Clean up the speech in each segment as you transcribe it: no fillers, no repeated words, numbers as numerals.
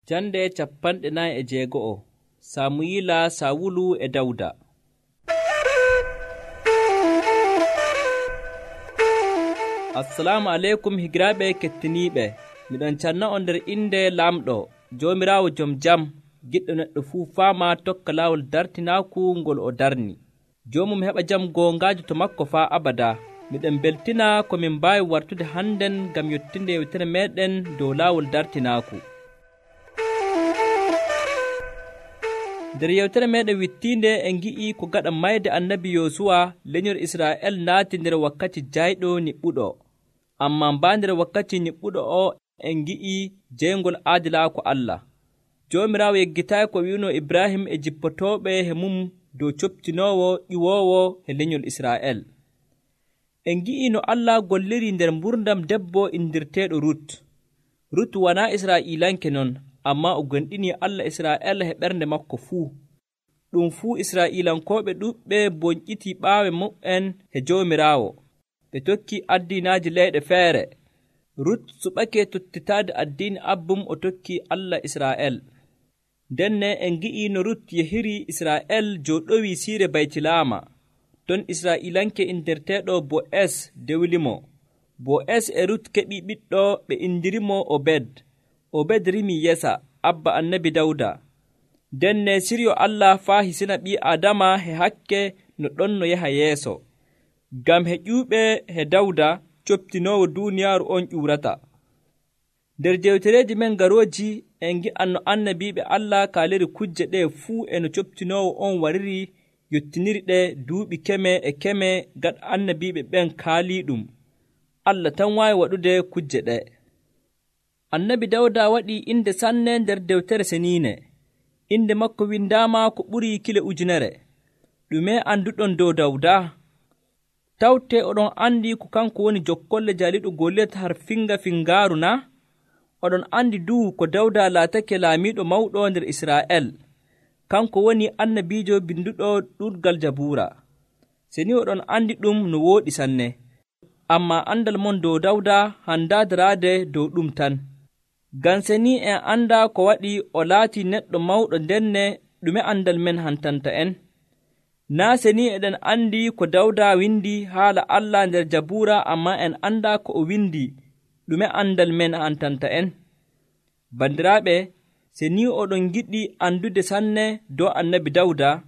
Jande 46 Samuyila Sawulu e Dawda. Assalamu aleykum higiraaɓe kettiniiɓe. Miɗon canna on nder innde Laamɗo, Joomiraawo jom jam, giɗɗo neɗɗo fuu faama tokka laawol dartinaaku ngol o darni. Joomum heɓa jam goongaajo to makko faa abada. Miɗen beltina ko min mbaawi wartude hannden ngam yottinde yewtere meeɗen dow laawol dartinaaku. Nder yewtere meeɗen wittiinde en ngi'i ko gaɗa mayde annabi Yoosuwa lenyol Israa'el naati nder wakkati jayɗo niɓɓuɗo. Ammaa mbaa nder wakkati niɓɓuɗo o en ngi'i jeyngol aadilaaku Allah. Joomiraawo yeggitaayi ko wi'uno Ibrahim e jippotooɓe he mum dow coptinoowo ƴiwoowo he lenyol Israa'el. En ngi'i no Allah golliri nder mburdam debbo indirteeɗo Rut. Rut wanaa Israa'iilanke non, ammaa o gonɗinii Allah Israa'el he ɓernde makko fuu. Ɗum fuu Israa'iilankooɓe ɗuuɗɓe bonƴitii ɓaawe mu'en he Joomiraawo. Ɓe tokkii addiinaaji leyɗe feere. Rut suɓake tottitaade addiini abbum o tokkii Allah Israa'el. Ndenne en ngi'i no Rut yehiri Israa'el jooɗowii siire Baytilaama. Ton Israa'iilanke indirteeɗo Bo'es dewlimo. Bo'es e Rut keɓii ɓiɗɗo ɓe indirimo Obed. Obed rimii Yesa, abba annabi Dawda. Ndenne siryo Allah faa hisina ɓii Adama he hakke no ɗon no yaha yeeso. Ngam he ƴuuɓe he Dawda coptinoowo duuniyaaru on ƴuurata. Nder jewtereeji men garooji en ngi'an no annabiiɓe Allah kaaliri kujje ɗee fuu e no coptinoowo on wariri yottiniri ɗe duuɓi keme e keme gaɗa annabiiɓe ɓen kaalii ɗum. Allah tan waawi waɗude kujje ɗe. Annabi Dawda waɗii inde sanne nder dewtere seniine. Inde makko windaama ko ɓurii kile 1,000. Ɗume annduɗon dow Dawda? Tawte oɗon anndi ko kanko woni jokkolle jaaliɗo Goliyat har fingaaru na? Oɗon anndi duu ko Dawda laatake laamiiɗo mawɗo nder Israa'el. Kanko woni annabiijo binduɗo ɗuɗgal Jabuura. Seni oɗon anndi ɗum no wooɗi sanne. Ammaa andal mon dow Dawda handaa daraade dow ɗum tan. Ngam seni en anndaa ko waɗi o laatii neɗɗo mawɗo ndenne ɗume andal men hantanta en. Naa seni eɗen anndi ko Dawda windi haala Allah nder Jabuura, ammaa en anndaa ko o windi ɗume andal men hantanta en. Bandiraaɓe, seni oɗon giɗi andude sanne dow annabi Dawda,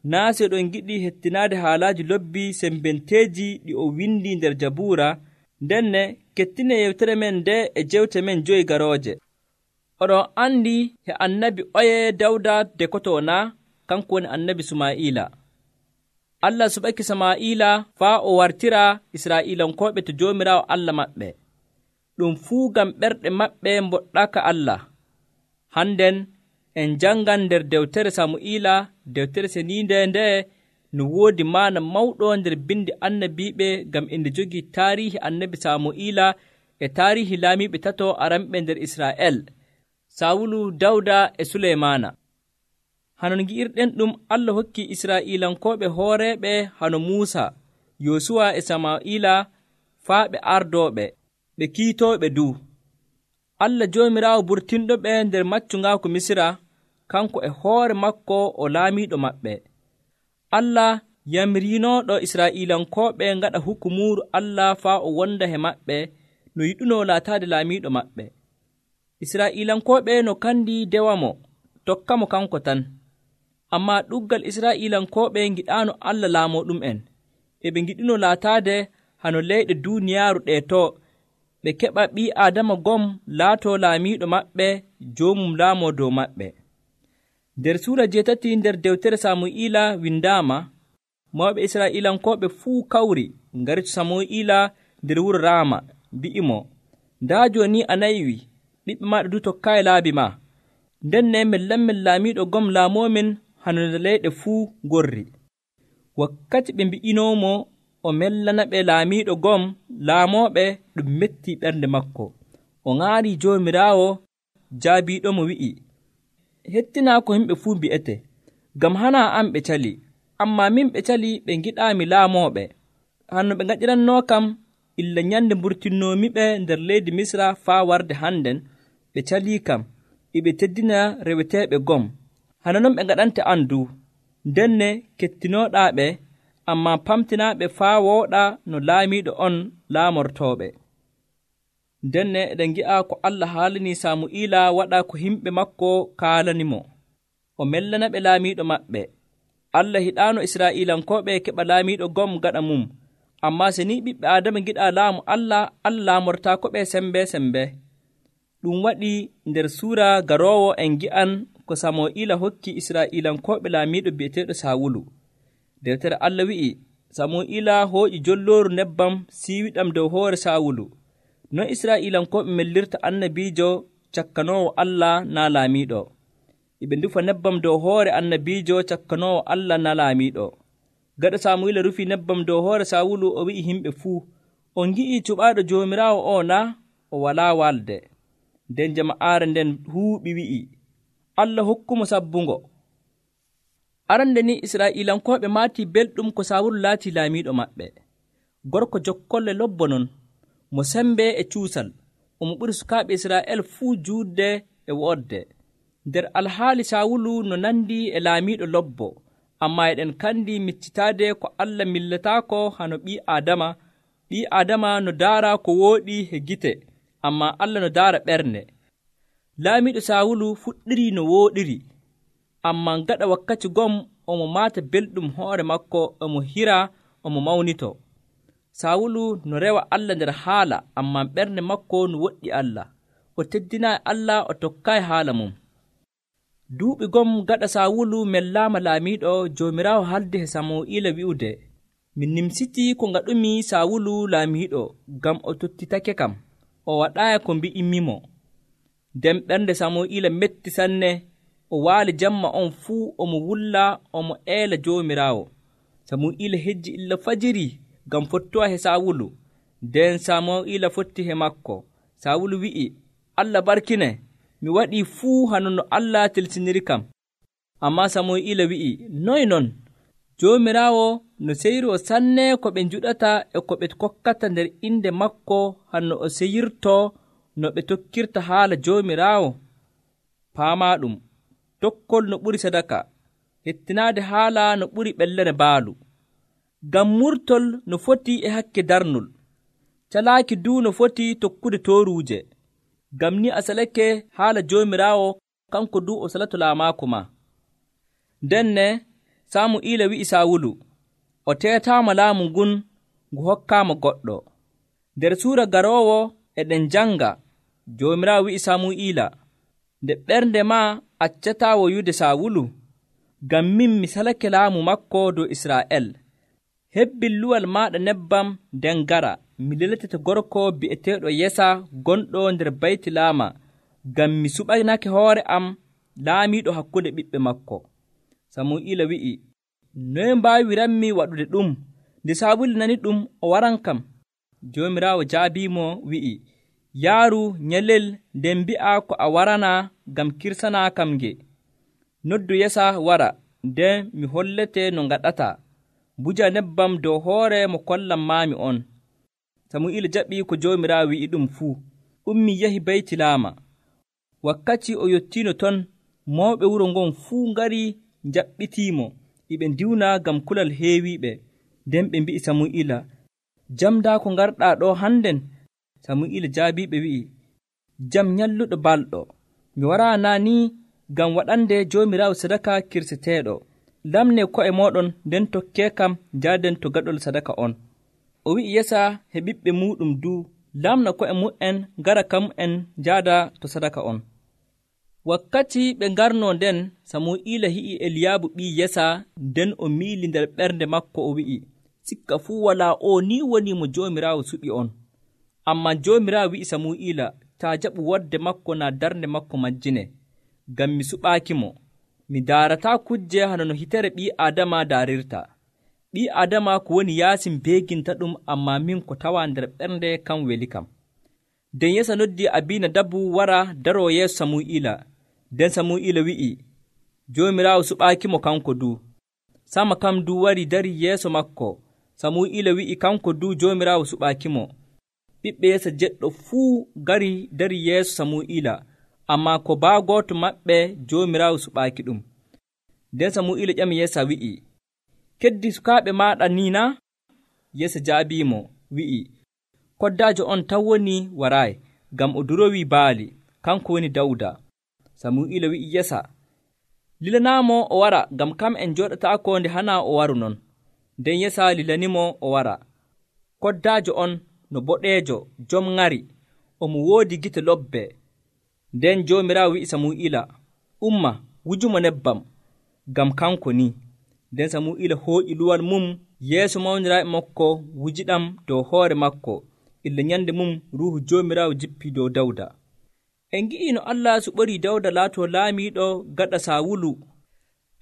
naa se oɗon giɗi hettinaade haalaaji lobbi sembenteeji ɗi o windi nder Jabuura, ndenne kettine yewtere men nde e jewte men 5 garooje. Oɗon anndi he annabi oye Dawda dekotoo na? Kanko woni annabi Sumaa'ila. Allah suɓaki Samaa'ila faa o wartira Israa'iilankooɓe to Joomiraawo Allah maɓɓe. Ɗum fuu ngam ɓerɗe maɓɓe mboɗɗaka Allah. Hannden en janngan nder dewtere Samu'iila, dewtere seniinde nde no woodi maana mawɗo nder bindi annabiiɓe ngam inde jogii taariihi annabi Samu'iila e taariihi laamiiɓe tato aranɓe nder Israa'el, Sawulu, Dawda e Suleymaana. Hanon ngi'irɗen ɗum Allah hokki Israa'iilankooɓe hooreeɓe hano Muusa, Yoosuwa e Samaa'ila faa ɓe ardooɓe, ɓe kiitooɓe duu. Allah Joomiraawo burtinɗo ɓe nder maccungaaku Misira, kanko e hoore makko o laamiiɗo maɓɓe. Allah yamriinooɗo Israa'iilankooɓe ngaɗa hukumuuru Allah faa o wonda he maɓɓe no yiɗunoo laataade laamiiɗo maɓɓe. Israa'iilankooɓe no kandi dewamo, tokkamo kanko tan. Ammaa ɗuggal Israa'iilankooɓe ngiɗaano Allah laamoɗum'en. E ɓe ngiɗino laataade hano leyɗe duuniyaaru ɗee to, ɓe keɓa ɓii Aadama gom laatoo laamiiɗo maɓɓe, joomum laamoo dow maɓɓe. Nder suura 8 nder dewtere Samu'iila windaama, mawɓe Israa'iilankooɓe fuu kawri ngari to Samu'iila nder wuro Raama, mbi'imo, ndaa jooni a naywii, ɓiɓɓe maaɗa du tokkaayi laabi maa. Ndenne min lammin laamiiɗo gom laamoomin hano nde leyɗe fuu ngorri. Wakkati ɓe mbi'inoomo o mellana ɓe laamiiɗo gom laamooɓe, ɗum mettii ɓernde makko. O ŋaarii Joomiraawo, jaabiiɗomo wi'i, hettinaa ko yimɓe fuu mbi'ete, ngam hanaa am ɓe cali, ammaa min ɓe cali ɓe ngiɗaami laamooɓe. Hanno ɓe ngaɗirannoo kam illa nyannde mburtinnoomi ɓe nder leydi Misra faa warde hannden, ɓe calii kam, iɓe teddina reweteeɓe gom. Hano non ɓe ngaɗante andu, ndenne kettinooɗaaɓe, ammaa pamtinaaɓe faa wooɗa no laamiiɗo on laamortooɓe. Ndenne eɗen ngi'a ko Allah haalani Samu'iila waɗa ko himɓe makko kaalanimo. O mellanaɓe laamiiɗo maɓɓe. Allah hiɗaano Israa'iilankooɓe keɓa laamiiɗo gom gaɗa mum. Ammaa se ni ɓiɓɓe Aadama ngiɗaa laamu Allah laamortaakoɓe sembe. Ɗum waɗi nder suura garoowo en ngi'an ko Samu'iila hokki Israa'iilankooɓe laamiiɗo bi'eteeɗo Saawulu. Deftere Allah wi'i, Samu'iila hooƴi jollooru nebbam siiwiɗam dow hoore Saawulu. Non Israa'iilankooɓe mellirta annabiijo cakkanoowo Allah naa laamiiɗo. Iɓe ndufa nebbam dow hoore annabiijo cakkanoowo Allah naa laamiiɗo. Gaɗa Samu'iila rufi nebbam dow hoore Saawulu, o wi'i himɓe fuu, on ngi'ii cuɓaaɗo Joomiraawo o na? O walaa walde. Nden jama'aare nden huuɓi wi'i, Allah hokkumo sabbungo. Arande ni Israa'iilankooɓe maatii belɗum ko Saawulu laatii laamiiɗo maɓɓe. Gorko jokkolle lobbo non, mo sembe e cuusal, omo ɓuri sukaaɓe Israa'el fuu juutde e woodde. Nder alhaali Saawulu no nandi e laamiiɗo lobbo, ammaa eɗen kandi miccitaade ko Allah millataako hano ɓii Aadama no daara ko wooɗi he gite, ammaa Allah no daara ɓernde. Laamiiɗo Saawulu fuɗɗiri no wooɗiri, ammaa gaɗa wakkati gom omo maata belɗum hoore makko, omo hira, omo mawnito. Saawulu no rewa Allah nder haala, ammaa ɓernde makko no woɗɗi Allah. O teddinaayi Allah, o tokkaayi haala mum. Duuɓi gom gaɗa Saawulu mellaama laamiiɗo, Joomiraawo haldi he Samu'iila wi'ude, min nimsitii ko ngaɗumi Saawulu laamiiɗo, ngam o tottitake kam, o waɗaayi ko mbi'imimo. Nden ɓernde Samu'iila metti sanne, o waali jamma on fuu, omo wulla, omo eela Joomiraawo. Samu'iila hejji illa fajiri ngam fottowa he Saawulu. Nden Samu'iila fotti he makko. Saawulu wi'i, Allah barkine, mi waɗii fuu hano no Allah tilsiniri kam. Ammaa Samu'iila wi'i, noy non? Joomiraawo no seyiroo sanne ko ɓe njuɗata e ko ɓe kokkata nder inde makko hanno o seyirtoo no ɓe tokkirta haala Joomiraawo. Paamaa ɗum, tokkol no ɓuri sadaka, hettinaade haala no ɓuri ɓellere baalu. Ngam murtol no foti e hakke darnol, calaaki duu no foti tokkude tooruuje. Ngam ni a salake haala Joomiraawo, kanko duu o salato laamaako ma. Ndenne Samu'iila wi'i Saawulu, o teetaama laamu ngun ngu hokkaama goɗɗo. Nder suura garoowo eɗen janga, Joomiraawo wi'i Samu'iila, nde ɓernde ma accataa woyude Saawulu, ngam min mi salake laamu makko dow Israa'el. Hebbin luwal maaɗa nebbam nden gara, mi leletete gorko bi'eteeɗo Yesa gonɗo nder Baytilaama, ngam mi suɓanake hoore am laamiiɗo hakkunde ɓiɓɓe makko. Samu'iila wi'i, noye mbaawiranmi waɗude ɗum? Nde Saawulu nani ɗum, o waran kam. Joomiraawo jaabiimo wi'i, yaaru nyalel nden mbi'a ko a warana ngam kirsanaa kam nge. Noddu Yesa wara, nden mi hollete no ngaɗata. Buja nebbam dow hoore mo kollam maami on. Samu'iila jaɓii ko Joomiraawo wi'i ɗum fuu, ummi yahi Baytilaama. Wakkati o yottiino ton, mawɓe wuro ngon fuu ngari njaɓɓitiimo, iɓe ndiwna ngam kulal heewiiɓe. Nden ɓe mbi'i Samu'iila, jam daa ko ngarɗaa ɗo hannden? Samu'iila jaabiiɓe wi'i, jam nyalluɗo balɗo. Mi waraana ni ngam waɗande Joomiraawo sadaka kirseteeɗo. Lamne ko'e mooɗon, nden tokkee kam njaaden to gaɗol sadaka on. O wi'i Yesa he ɓiɓɓe muuɗum duu, lamna ko'e mu'en ngara kam en njaada to sadaka on. Wakkati ɓe ngarnoo nden, Samu'iila hi'i Eliyaabu ɓii Yesa, nden o miili nder ɓernde makko, o wi'i, sikka fuu walaa o ni woni mo Joomiraawo suɓi on. Ammaa Joomiraawo wi'i Samu'iila, taa jaɓu wodde makko naa darnde makko majjine, ngam mi suɓaakimo. Mi daarataa kujje hano no hitere ɓii Aadama daarirta. Ɓii Aadama ko woni yaasi mbeeginta ɗum, ammaa min ko tawaa nder ɓernde kam weli kam. Nden Yesa noddi Abinadabu wara daroo yeeso Samu'iila. Nden Samu'iila wi'i, Joomiraawo suɓaakimo kanko duu. Sama kam duu wari dari yeeso makko. Samu'iila wi'i kanko duu Joomiraawo suɓaakimo. Ɓiɓɓe Yesa jeɗɗo fuu gari dari yeeso Samu'iila, ammaa ko baa gooto maɓɓe Joomiraawo suɓaaki ɗum. Nden Samu'iila ƴami Yeesa wi'i, keddi sukaaɓe maaɗa ni naa? Yeesa jaabiimo wi'i, koddaajo on tan woni waraayi, ngam o durowii baali, kanko woni Dawda. Samu'iila wi'i Yeesa, lilanaamo o wara, ngam kam en njooɗataako nde hanaa o waru non. Nden Yeesa lilanimo o wara. Koddaajo on no boɗeejo, jom ŋari, omo woodi gite lobbe. Nden Joomiraawo wi'i Samu'iila, umma, wujumo nebbam, ngam kanko ni. Nden Samu'iila hooƴi luwal mum yeeso mawniraaɓe makko, wujiɗam dow hoore makko. Illa nyande mum Ruuhu Joomiraawo jippii dow Dawda. En ngi'ii no Allah suɓorii Dawda laatoo laamiiɗo gaɗa Saawulu.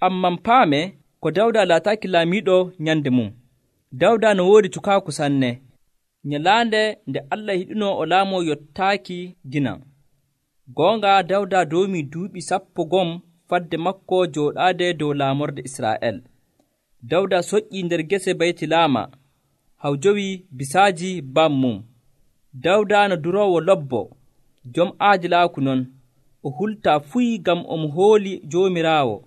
Amman paame ko Dawda laataaki laamiiɗo nyande mum. Dawda no woodi cukaaku sanne. Nyalaande nde Allah yiɗinoo o laamoo yottaaki ginan. Goonga Dawda doomii duuɓi 10 fadde makko jooɗaade dow laamorde Israa'el. Dawda soƴƴii nder gese Baytilaama, haw jowi bisaaji bam mum. Dawda no duroowo lobbo, jom aadilaaku non, o hultaa fuy ngam omo hooli Joomiraawo.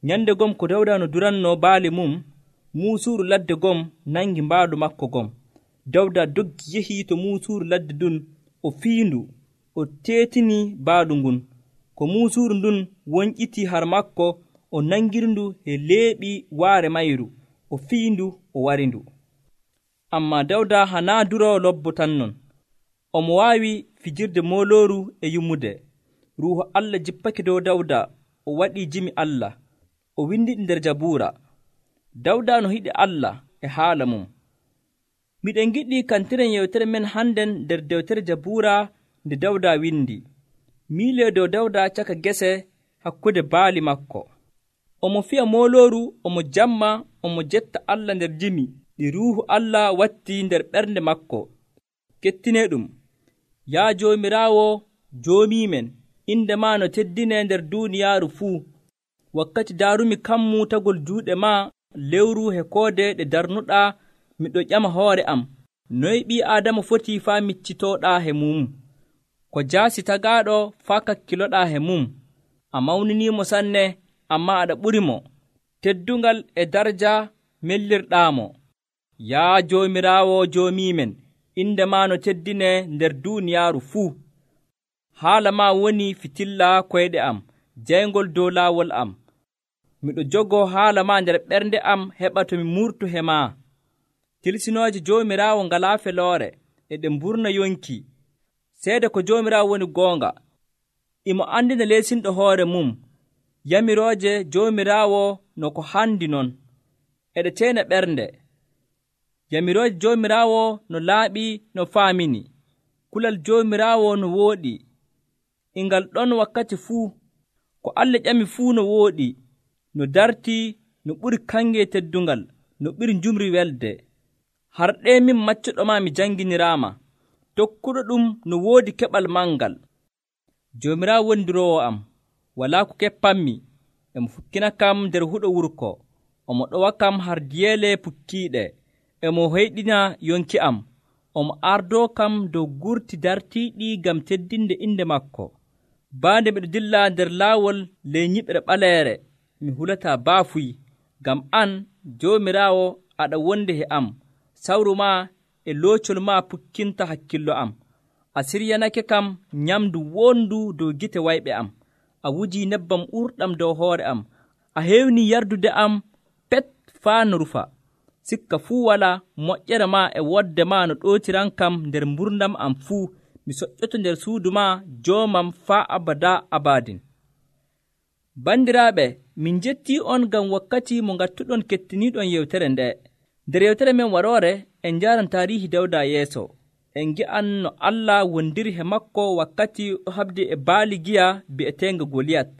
Nyande gom ko Dawda no durannoo baali mum, muusuuru ladde gom nangi mbaalu makko gom. Dawda doggi yehii to muusuuru ladde ndun, o fiindu, o teetinii baalu ngun. Ko muusuuru ndun wonƴitii har makko, o nangirindu e leeɓi waare mayru, o fiindu, o warindu. Ammaa Dawda hanaa duroowo lobbo tan non. Omo waawi fijirde moolooru e yummude. Ruuhu Allah jippake dow Dawda, o waɗii jimi Allah, o windiɗi nder Jabuura. Dawda no yiɗi Allah e haala mum. Miɗen giɗi kantiren yewtere men hannden nder dewtere Jabuura nde Dawda windi. Miilee dow Dawda caka gese hakkude baali makko. Omo fiya moolooru, omo jamma, omo jetta Allah nder jimi ɗi Ruuhu Allah wattii nder ɓernde makko. Kettinee ɗum. Yaa Joomiraawo, joomiimen, inde maa no teddinee nder duuniyaaru fuu. Wakkati daarumi kammu tagol juuɗe maa lewru e koode ɗe darnuɗaa, miɗo ƴama hoore am, noy ɓii Aadama foti faa miccitooɗaa he mum? Ko jaasi tagaaɗo faa kakkiloɗaa he mum. A mawniniimo sanne, ammaa aɗa ɓurimo. Teddungal e darja mellirɗaamo. Yaa Joomiraawo joomiimen, inde maa no teddinee nder duuniyaaru fuu. Haala maa woni fitilla koyɗe am, jayngol dow laawol am. Miɗo jogoo haala maa nder ɓernde am heɓa to mi murtu he maa. Tilsinooje Joomiraawo ngalaa feloore, e ɗe mburna yonki. Seede ko Joomiraawo woni goonga. Imo andina leesinɗo hoore mum. Yamirooje Joomiraawo no ko handi non, eɗe teena ɓernde. Yamirooje Joomiraawo no laaɓi no faamini. Kulal Joomiraawo no wooɗi. Ingal ɗon wakkati fuu. Ko Allah ƴami fuu no wooɗi, no dartii, no ɓuri kange teddungal, no ɓuri njumri welde. Harɗe min maccuɗoma mi janginiraama. Tokkuɗo ɗum no woodi keɓal mangal. Joomiraawo woni duroowo am, walaa ko keppanmi. Emo fukkina kam nder huɗo wurko. Omo ɗowa kam har diyeele pukkiiɗe. Emo hoyɗina yonki am. Omo ardoo kam dow gurti dartiiɗi ngam teddinde inde makko. Baande miɗo dilla nder laawol ley nyiɓre ɓaleere, mi hulataa baafuy. Ngam an, Joomiraawo, aɗa wonde he am. Sawru maa e loocol maa pukkinta hakkillo am. A siryanake kam nyamdu wondu dow gite wayɓe am. A wujii nebbam ɓurɗam dow hoore am. A heewnii yardude am pet faa no rufa. Sikka fuu walaa, moƴƴere maa e wodde maa no ɗootiran kam nder mburdam am fuu. Mi soƴƴoto nder suudu maa joomam faa abadaa abadin. Bandiraaɓe, min jettii on ngam wakkati mo ngattuɗon kettiniiɗon yewtere nde. Nder yewtere men waroore, en njaaran taariihi Dawda yeeso. En ngi'an no Allah wondiri he makko wakkati o haɓdi e baali giya bi'eteenga Goliyat.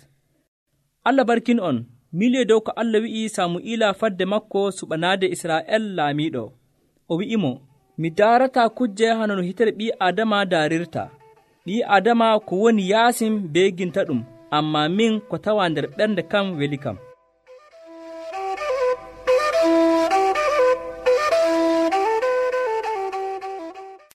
Allah barkin on. Miilii dow ko Allah wi'i Samu'iila fadde makko suɓanaade Israa'el laamiiɗo. O wi'imo, mi daarataa kujje hano no hitere ɓii Aadama daarirta. Ɓii Aadama ko woni yaasim beeginta ɗum, ammaa min ko tawaa nder ɓernde kam weli kam.